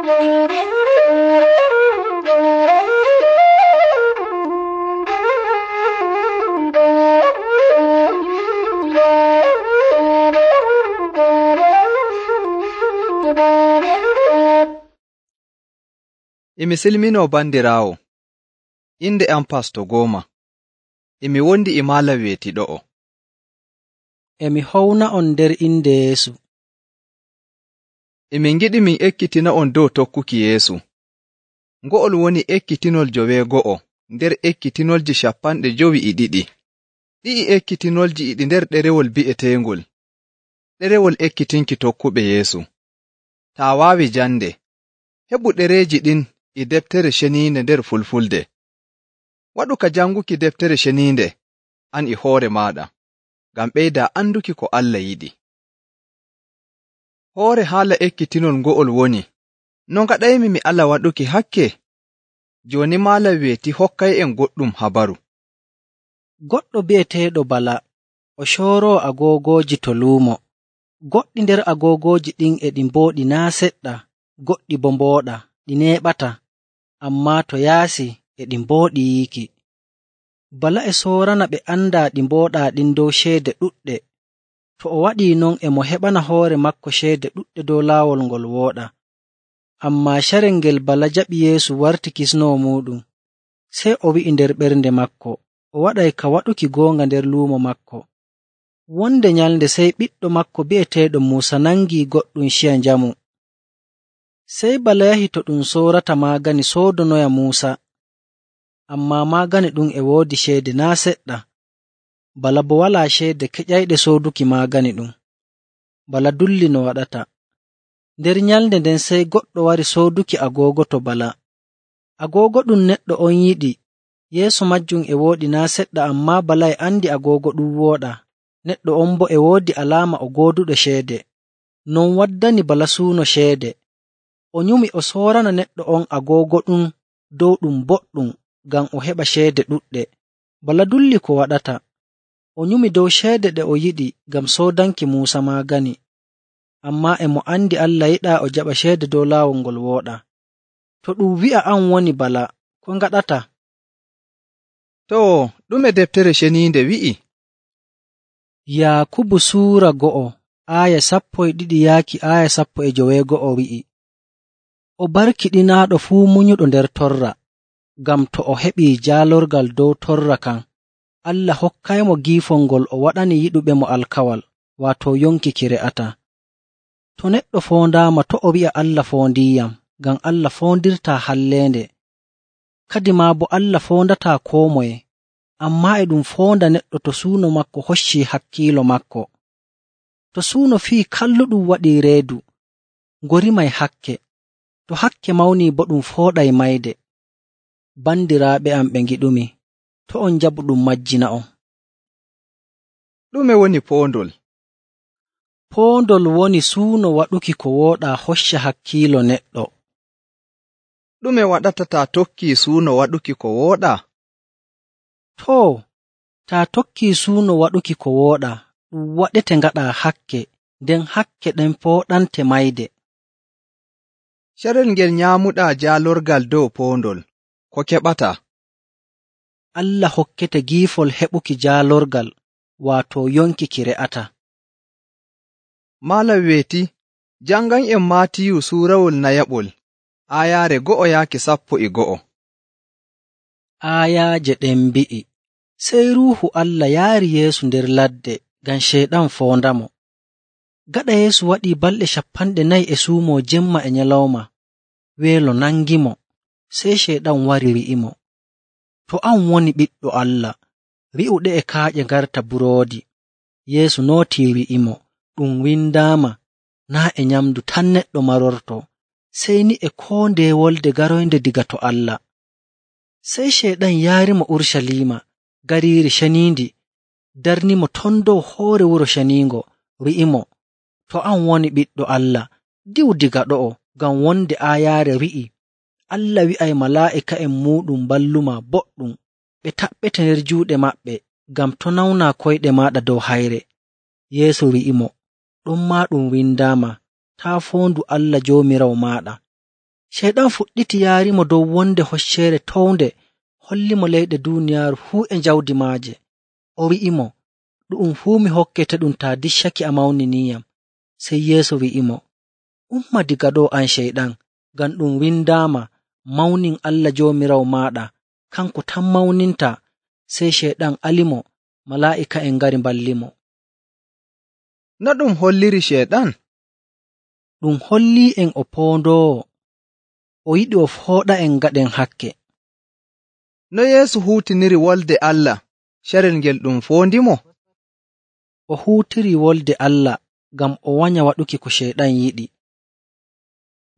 Emi silminoo bandiraawo, inde am Pasto Gooma. Emi wondi e maala weetiɗo'o. Emi howna'on nder inde Yeesu. Emin ngiɗi min ekkitina'on dow tokkuki Yeesu. Ngo'ol woni ekkitinol 52 nder ekkitinolji 52. Ɗi'i ekkitinolji e ɗi nder ɗerewol bi'eteengol ɗerewol ekkitinki tokkuɓe Yeesu. Taa waawi jande, heɓu ɗereeji ɗin e deftere ceniinde nder Fulfulde. Waɗu ka janguki deftere ceniinde an e hoore maaɗa, ngam ɓeydaa anduki ko Allah yiɗi. Hoore haala ekkitinol ngo'ol woni, no ngaɗaymi mi ala waɗuki hakke? Jooni maalam weeti hokkay'en goɗɗum habaru. Goɗɗo bi'eteeɗo Bala o cooroo agoogoji to luumo. Goɗɗi nder agoogoji ɗin e ɗi mbooɗi naa seɗɗa, goɗɗi bo mbooɗa, ɗi neeɓata, ammaa to yaasi e ɗi mbooɗi yiiki. Bala e soorana ɓe andaa ɗi mbooɗaa ɗin dow ceede ɗuɗɗe. To o waɗii non e mo heɓana hoore makko ceede ɗuɗɗe dow laawol ngol wooɗa. Ammaa carel ngel Bala jaɓi Yeesu warti kisnoowo muuɗum, sey o wi'i nder ɓernde makko o waɗay ka waɗuki goonga nder luumo makko. Wonde nyalnde sey ɓiɗɗo makko bi'eteeɗo Muusa nangii goɗɗum ciya njamu. Sey Bala yahi to ɗum soorata maagani soodonoya Muusa, ammaa maagani ɗum e woodi ceede naa seɗɗa. Bala bo walaa ceede keƴayɗe sooduki maagani ɗum. Bala dulli no waɗata. Nder nyalnde nden sey goɗɗo wari sooduki agoogo to Bala. Agoogo ɗum neɗɗo on yiɗi, yeeso majjum e wooɗi naa seɗɗa, ammaa Bala e andi agoogo ɗum wooɗa. Neɗɗo on bo e woodi alaama o gooduɗo ceede. Non waddani Bala suuno ceede. O nyumi o soorana neɗɗo on agoogo ɗum dow ɗum boɗɗum ngam o heɓa ceede ɗuɗɗe. Bala dulli ko waɗata. O nyumi dow ceede ɗe o yiɗi ngam soodanki Muusa maagani. Ammaa e mo andi Allah yiɗaa o jaɓa ceede dow laawol ngol wooɗa. To ɗum wi'a an woni Bala, ko ngaɗata? Too, ɗume deftere ceniinde wi'i? Yaakubu suura 2 aaya 12 yaaki aaya 15 wi'i, o barkiɗinaaɗo fuu munyuɗo nder torra, ngam to o heɓii jaalorgal dow torra kan, Allah hokkaymo giifol ngol o waɗani yiɗuɓemo alkawal, waato yonki ki re'ata. To neɗɗo foondaama to o wi'a Allah foondiiyam, ngam Allah foondirtaa halleende. Kadi maa bo Allah foondataa koo moye, ammaa e ɗum foonda neɗɗo to suuno makko hoccii hakkiilo makko. To suuno fii kalluɗum waɗii reedu, ngorimay hakke. To hakke mawnii bo ɗum fooɗay mayde. Bandiraaɓe am ɓe ngiɗumi, to on njaɓu ɗum majjina'on. Ɗume woni poondol? Poondol woni suuno waɗuki ko wooɗaa hocca hakkiilo neɗɗo. Ɗume waɗata taa tokkii suuno waɗuki ko wooɗaa? Too, taa tokkii suuno waɗuki ko wooɗaa, ɗum waɗete ngaɗaa hakke, nden hakke ɗen fooɗante mayde. Carel ngel nyaamuɗaa jaalorgal dow poondol, ko keɓataa? Allah hokkete giifol heɓuki jaalorgal, waato yonki ki re'ata. Maalam weeti, jangan'en Maatiyu suurawol nayaɓol, aayaare 1 yaaki 11. Aayaaje ɗen mbi'i, sey Ruuhu Allah yaari Yeesu nder ladde ngam Ceyɗan foondamo. Gaɗa Yeesu waɗii balɗe 40 e suumoo jemma e nyalawma, weelo nangimo, sey Ceyɗan wari wi'imo, to an woni Ɓiɗɗo Allah, wi'u ɗe'e kaaƴe ngarta buroodi. Yeesu nootii wi'imo, ɗum windaama, naa e nyamdu tan neɗɗo marorto, sey ni e koo ndeye wolde garoynde diga to Allah. Sey Ceyɗan yaarimo Urshalima, gariiri ceniindi, darnimo ton dow hoore wuro ceniingo, wi'imo, to an woni Ɓiɗɗo Allah, diwu diga ɗo'o, ngam wonde aayaare wi'i, Allah wi'ay malaa'ika'en muuɗum balluma boɗɗum, ɓe taɓɓete nder juuɗe maɓɓe, ngam to nawnaa koyɗe maaɗa dow hayre. Yeesu wi'imo, ɗon maa ɗum windaama, taa foondu Allah Joomiraawo maaɗa. Ceyɗan fuɗɗiti yaarimo dow wonde hocceere townde, hollimo leyɗe duuniyaaru fuu e jawdi maaje. O wi'imo, ɗu'um fuu mi hokketeɗum taa diccake a mawniniyam. Sey Yeesu wi'imo, umma diga ɗo an Ceyɗan, ngam ɗum windaama, mawnin Allah Joomiraawo maaɗa, kanko tan mawnintaa. Sey Ceyɗan alimo, malaa'ika'en ngari mballimo. No ɗum holliri Ceyɗan? Ɗum holli'en o poondoowo. O yiɗi o fooɗa'en gaɗen hakke. No Yeesu huutiniri wolde Allah carel ngel ɗum foondimo? O huutiri wolde Allah ngam o wanya waɗuki ko Ceyɗan yiɗi.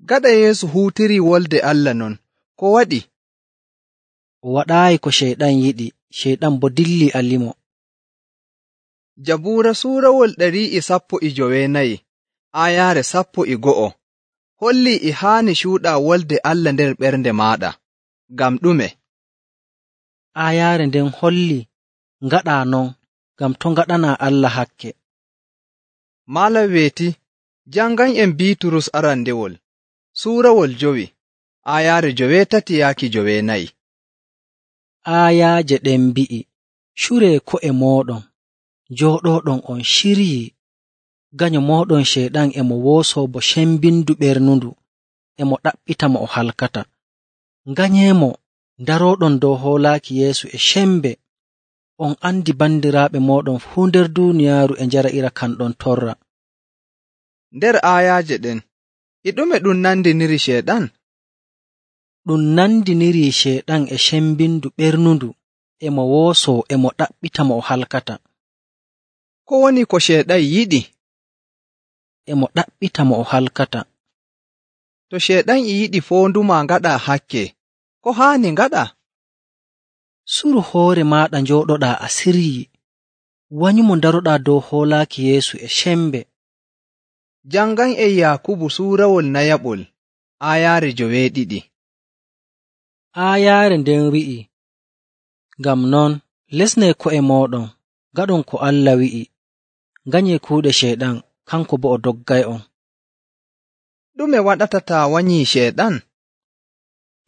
Gaɗa Yeesu huutiri wolde Allah non, ko waɗi? O waɗaayi ko Ceyɗan yiɗi, Ceyɗan bo dilli alimo. Jabuura suurawol 114 aayaare 12 holli e haani cuuɗa wolde Allah nder ɓernde maaɗa. Ngam ɗume? Aayaare nden holli ngaɗa non, ngam to ngaɗanaa Allah hakke. Malam weeti, jangan'en Biiturus arandewol, suurawol 5, aayaare 13-14. Aayaaje ɗen mbi'i, curee ko'e mooɗon, jooɗooɗon on ciryii. Ganyo mooɗon Ceyɗan e mo woosoo bo cembindu ɓernundu, e mo ɗaɓɓita mo o halkata. Nganyeemo darooɗon dow hoolaaki Yeesu e cembe. On andi bandiraaɓe mooɗon fuu nder duuniyaaru e njara'ira kanɗon torra. Nder aayaaje ɗen, e ɗume ɗum nandiniri Ceyɗan? Ɗum nandiniri Ceyɗan e cembindu ɓernundu, e mo woosoo e mo ɗaɓɓita mo o halkata. Ko woni ko Ceyɗan yiɗi? E mo ɗaɓɓita mo o halkata. To Ceyɗan e yiɗi foonduma ngaɗa hakke, ko haani ngaɗa? Suru hoore maaɗa njooɗoɗaa a siryii, wanyumo daroɗaa dow hoolaaki Yeesu e cembe. Jangan'en Yaakubu suurawol 4 aayaare 2. Aayaare nden wi'i, ngam non lesnee ko'e mooɗon, ngaɗon ko Allah wi'i, nganyee kuuɗe Ceyɗan, kanko bo o doggay'on. Ɗume waɗata taa wanyii Ceyɗan?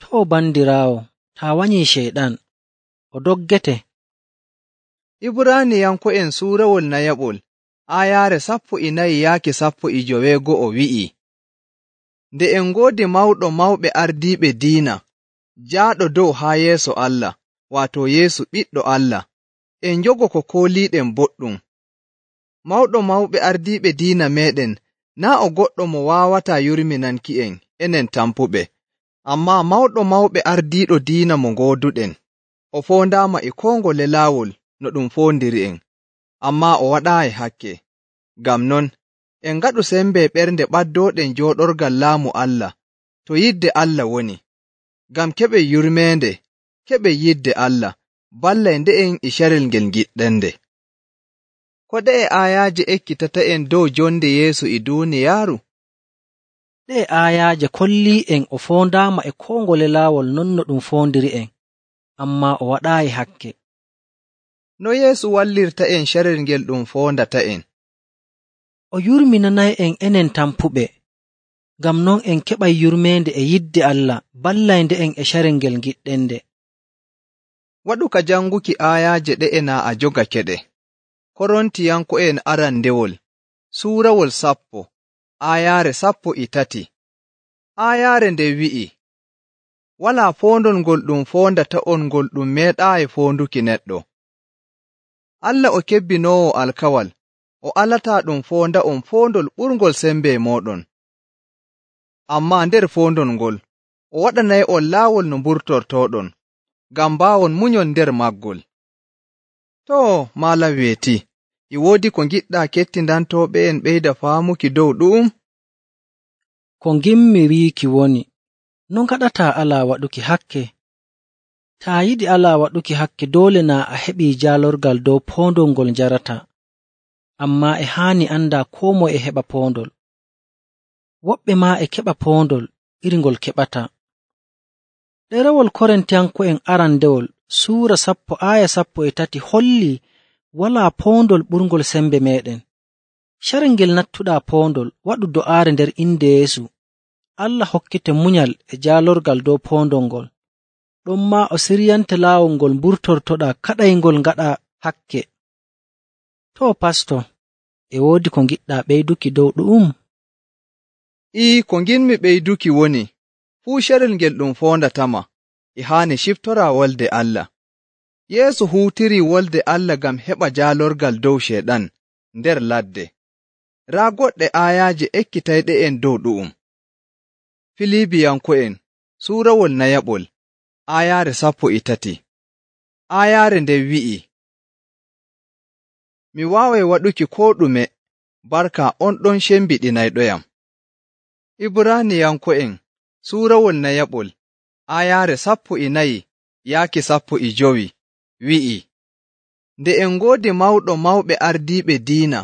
Too bandiraawo, taa wanyii Ceyɗan, o doggete. Ibraaniyanko'en suurawol 4 aayaare 14-15 wi'i, nde en ngoodi mawɗo mawɓe ardiiɓe diina, jaaɗo dow haa yeeso Allah, waato Yeesu ɓiɗɗo Allah, en njogo ko kooliiɗen boɗɗum. Mawɗo mawɓe ardiiɓe diina meeɗen naa o goɗɗo mo waawataa yurminanki'en enen tampuɓe, ammaa mawɗo mawɓe ardiiɗo diina mo ngooduɗen. O foondaama e koo ngole laawol no ɗum foondiri'en, ammaa o waɗaayi hakke. Ngam non, en ngaɗu sembe ɓernde ɓaddooɗen jooɗorgal laamu Allah to yidde Allah woni, ngam keɓen yurmeende, keɓen yidde Allah, ballay nde'en e carel ngel giɗɗende. Ko ɗe'e aayaaje ekkitata'en dow jonde Yeesu e duuniyaaru? Ɗe'e aayaaje kollii'en o foondaama e koo ngole laawol non no ɗum foondiri'en, ammaa o waɗaayi hakke. No Yeesu wallirta'en carel ngel ɗum foondata'en? O yurminanay'en enen tampuɓe, ngam non en keɓay yurmeende e yidde Allah, ballay nde'en e carel ngel giɗɗende. Waɗu ka janguki aayaaje ɗe'e naa a jogakeɗe. Korontiyanko'en arandewol, suurawol 10, aayaare 13. Aayaare nde wi'i, walaa foondol ngol ɗum foondata'on ngol ɗum meeɗaayi foonduki neɗɗo. Allah o kebbinoowo alkawal, o alataa ɗum foonda'on foondol ɓurngol sembe mooɗon. Ammaa nder foondol ngol, o waɗanay'on laawol no mburtortooɗon, ngam mbaawon munyon nder maggol. Too, malam weeti, e woodi ko ngiɗɗaa kettindantooɓe'en ɓeyda faamuki dow ɗu'um? Ko ngimmi wiiki woni, no ngaɗataa alaa waɗuki hakke? Taa yiɗi alaa waɗuki hakke doole naa a heɓii jaalorgal dow poondol ngol njarataa, ammaa e haani andaa koo moye e heɓa poondol. Woɓɓe maa e keɓa poondol iri ngol keɓataa. Ɗerewol Korintiyanko'en arandewol suura 10 aaya 13 hollii walaa poondol ɓurngol sembe meeɗen. Carel ngel nattuɗaa poondol, waɗu do'aare nder inde Yeesu, Allah hokkete munyal e jaalorgal dow poondol ngol, ɗonmaa o siryante laawol ngol mburtortoɗaa kaɗayngol ngaɗa hakke. To pasto, e woodi ko ngiɗɗaa ɓeyduki dow ɗu'um? Ko nginmi ɓeyduki woni, fuu carel ngel ɗum foondatama e haani ciftora wolde Allah. Yeesu huutirii wolde Allah ngam heɓa jaalorgal dow Ceyɗan nder ladde. Raa goɗɗe aayaaje ekkitayɗe'en dow ɗu'um. Filibiyanko'en suurawol nayaɓol, aayaare 13. Aayaare nden wi'i, mi waaway waɗuki koo ɗume barka on ɗon cembiɗinayɗoyam. Ibraaniyanko'en suurawol nayaɓol, aayaare 14 yaaki 15 wi'i, nde en ngoodi mawɗo mawɓe ardiiɓe diina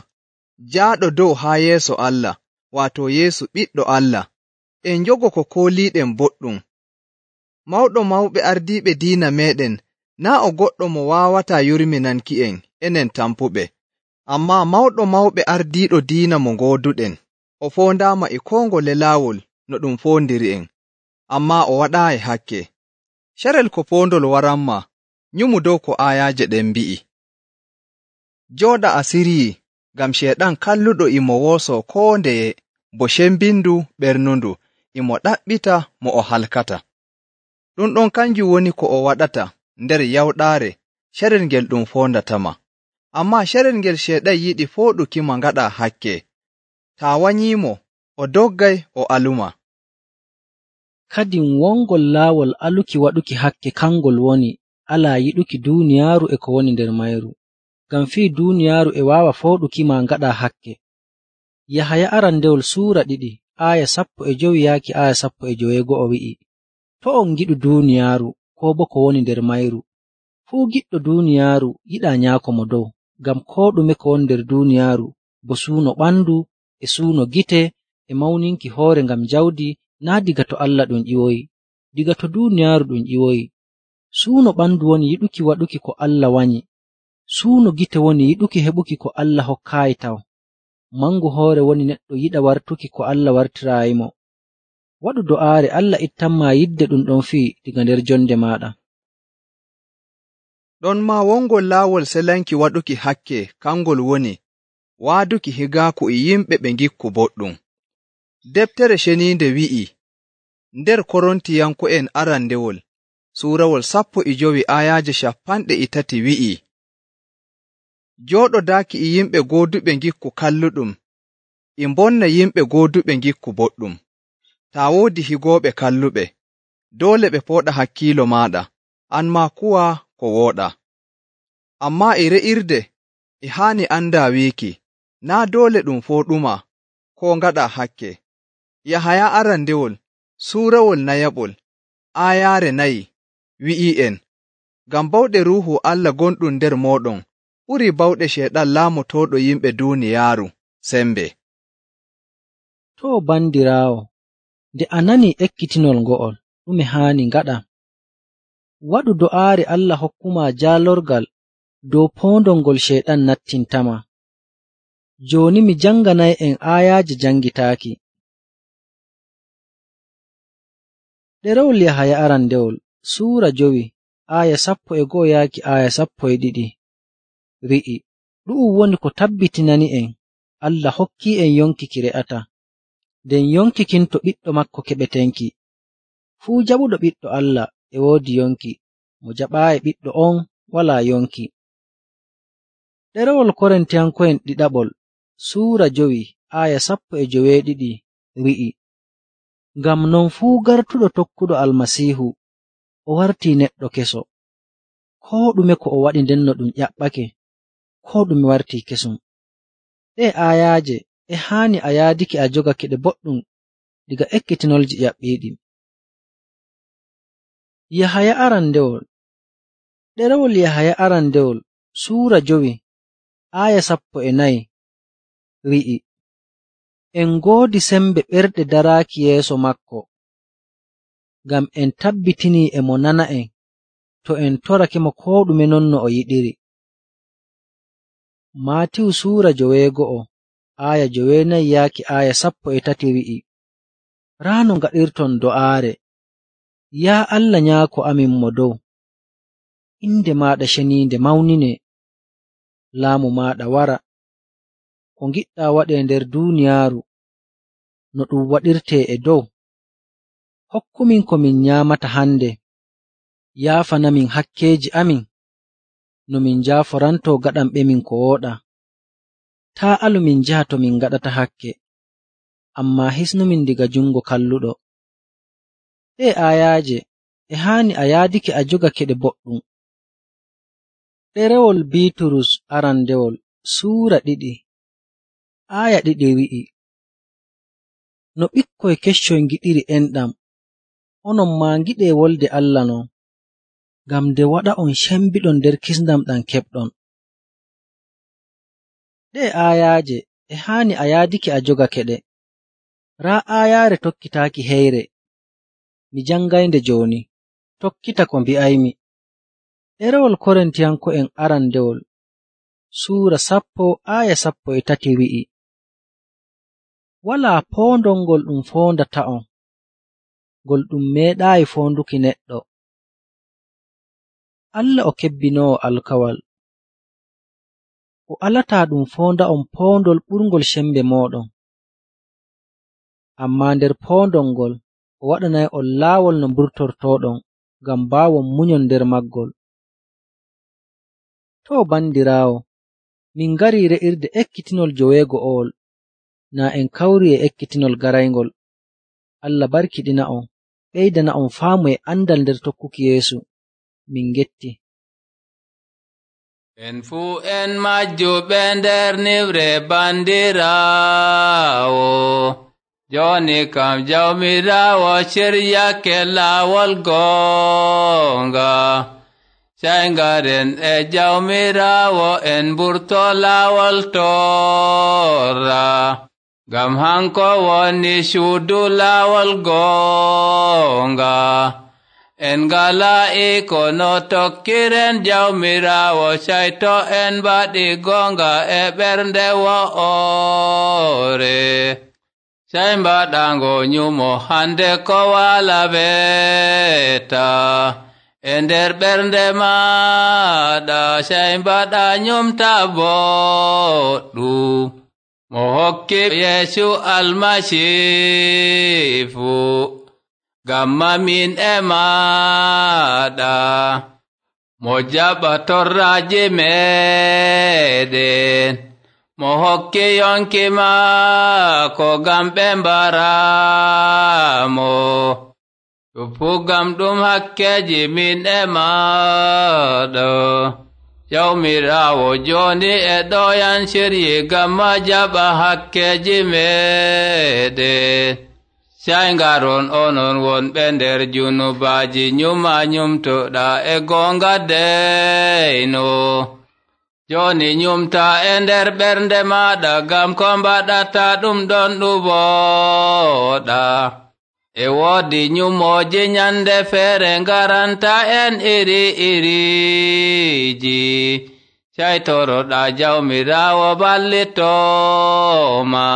jaaɗo dow haa yeeso Allah, waato Yeesu ɓiɗɗo Allah, en njogo ko kooliiɗen boɗɗum. Mawɗo mawɓe ardiiɓe diina meeɗen naa' o goɗɗo mo waawataa yurminanki'en enen tampuɓe, ammaa mawɗo mawɓe ardiiɗo diina mo ngooduɗen, o foondaama e koo ngole laawol no ɗum foondiri'en, ammaa o waɗaayi hakke. Carel ko poondol waranma, nyumu dow ko aayaaje ɗen mbi'i. Jooɗa a siryii, ngam Ceyɗan kalluɗo e mo woosoo koo ndeye bo cembindu ɓernundu, e mo ɗaɓɓita mo o halkata. Ɗum kanjum woni ko o waɗata nder yawɗaare carel ngel ɗum foondatama. Ammaa carel ngel Ceyɗan yiɗi fooɗukima ngaɗa hakke. Taa wanyiimo, o doggay o aluma. Kadin wongol laawol aluki waɗuki hakke kangol woni alaa yiɗuki duuniyaaru e ko woni nder mayru, ngam fii duuniyaaru e waawa fooɗukima ngaɗa hakke. Yahaya arandewol suura 2 aaya 15 yaaki aaya 15 wi'i, to on ngiɗu duuniyaaru koo bo ko woni nder mayru, fuu giɗɗo duuniyaaru yiɗaa nyaako mo dow, ngam koo ɗume ko woni nder duuniyaaru bo suuno ɓandu e suuno gite e mawninki hoore ngam jawdi naa' diga to Allah ɗum ƴiwoyi, diga to duuniyaaru ɗum ƴiwoyi. Suuno ɓandu woni yiɗuki waɗuki ko Allah wanyi, suuno gite woni yiɗuki heɓuki ko Allah hokkaayi taw, mangu hoore woni neɗɗo yiɗa wartuki ko Allah wartiraayimo. Waɗu do'aare Allah ittanma yidde ɗum ɗon fii diga nder jonde maaɗa. Ɗon maa wongol laawol selanki waɗuki hakke kangol woni waaduki higaaku e yimɓe ɓe ngikku boɗɗum. Deftere Ceniinde wi'i nder Korontiyanko'en arandewol suurawol 15 aayaaje 30 wi'i, jooɗodaaki e yimɓe gooduɓe ngikku kalluɗum e mbonna yimɓe gooduɓe ngikku boɗɗum. Taa woodi higooɓe kalluɓe, doole ɓe pooɗa hakkiilo maaɗa, an maa kuwa ko wooɗaa. Ammaa e re'irde e haani andaa wiiki, naa' doole ɗum fooɗuma koo ngaɗa hakke. Yahaya arandewol suurawol nayaɓol aayaare 4 wi'i'en, ngam bawɗe Ruuhu Allah gonɗum nder mooɗon ɓurii bawɗe Ceyɗan laamotooɗo yimɓe duuniyaaru sembe. To bandiraawo, nde a nanii ekkitinol ngo'ol, ɗume haani ngaɗa? Waɗu do'aare Allah hokkuma jaalorgal dow poondol ngol Ceyɗan nattintama. Jooni mi janganay'en aayaaje jangitaaki. Ɗerewol Yahaya arandewol suura 5 aaya 11 yaaki aaya 12 wi'i, ɗu'um woni ko tabbitinani'en Allah hokki'en yonki ki re'ata, nden yonki kin to ɓiɗɗo makko keɓetenki. Fuu jaɓuɗo ɓiɗɗo Allah e woodi yonki, mo jaɓaayi ɓiɗɗo on walaa yonki. Ɗerewol Korintiyanko'en ɗiɗaɓol suura 5 aaya 12 wi'i, ngam non fuu gartuɗo tokkuɗo Almasiihu o wartii neɗɗo keso, koo ɗume ko o waɗi ndenno ɗum ƴaɓɓake, koo ɗume wartii kesum. Ɗe aayaaje e haani a yaadiki a jogake ɗe boɗɗum diga ekkitinolji ƴaɓɓiiɗi. Yahaya arandewol ɗerewol Yahaya arandewol suura 5 aaya 14 wi'i, en ngoodi sembe ɓerɗe daraaki yeeso makko, ngam en tabbitinii e mo nana'en to en torake mo koo ɗume non no o yiɗiri. Maatiyu suura 9 aaya 9 yaaki aaya 13 wi'i, raa no ngaɗirton do'aare. Yaa Allah Nyaako amin mo dow, inde maaɗa ceniinde mawnine, laamu maaɗa wara, ko ngiɗɗaa waɗee nder duuniyaaru no ɗum waɗirtee e dow. Hokkumin ko min nyaamata hande, yaafanamin hakkeeji amin no min njaaforantoo gaɗanɓemin ko wooɗaa. Taa alu min njaha to min ngaɗata hakke, ammaa hisnumin diga jungo kalluɗo. Ɗee aayaaje e haani a yaadake a jogake ɗe boɗɗum. Ɗerewol Biiturus arandewol Suura 2 aaya 2 wi'i, no ɓikkoy keccoy ngiɗiri enɗam, onon maa ngiɗee wolde Allah non, ngam nde waɗa'on cembiɗon nder kisndam ɗam keɓɗon. Ɗee aayaaje e haani a yaadake a jogake ɗe. Raa aayaare tokkitaaki heyre. Mi jangaynde jooni, tokkita ko mbi'aymi. Ɗerewol Korintiyanko'en arandewol Suura 10 aaya 13 wi'i, walaa poondol ngol ɗum foondata'on, ngol ɗum meeɗaayi foonduki neɗɗo. Allah o kebbinoowo alkawal, o alataa ɗum foonda'on poondol ɓurngol sembe mooɗon. Ammaa nder poondol ngol o waɗanay'on laawol no mburtortooɗon ngam mbaawon munyon nder maggol. Too bandiraawo, min ngarii re'irde ekkitinol joweego'owol, naa en kawrii e ekkitinol garayngol. Allah barkiɗina'on, ɓeydana'on faamu e andal nder tokkuki Yeesu. Min ngetti. En fuu en majjuɓe nder niwre bandiraawo, jooni kam Jawmiraawo ciryake laawol goonga. Sey ngaren e Jawmiraawo en mburto laawol torra, ngam hanko woni suudu laawol goonga. En ngalaa iko no tokkiren Jawmiraawo, sey to en mbaɗi goonga e ɓernde wo'ore. Sey mbaɗango nyumo hande ko wala weta e nder ɓernde maaɗa, sey mbaɗa nyumta boɗɗum mo hokki Yeesu Almasiihu, ngam mamin e maaɗa, mo jaɓa torraaji meɗen, mo hokki yonki maako ngam ɓe mbaramo. Fuu ngam ɗum hakkeji min e maaɗa. Jawmiraawo jooni e ɗoyan siryi ngam ma jaɓa hakkeji meɗen. Sey ngaron onon wonɓe nder junubaaji, nyuma nyumtoɗa e goonga deyno. Jooni nyumta e nder ɓernde maaɗa, ngam ko mbaɗata ɗum ɗon ɗum wooɗa. E woodi nyumooji nyande feere ngaranta en iri-iriji, sey toroɗa Jawmiraawo ballitooma.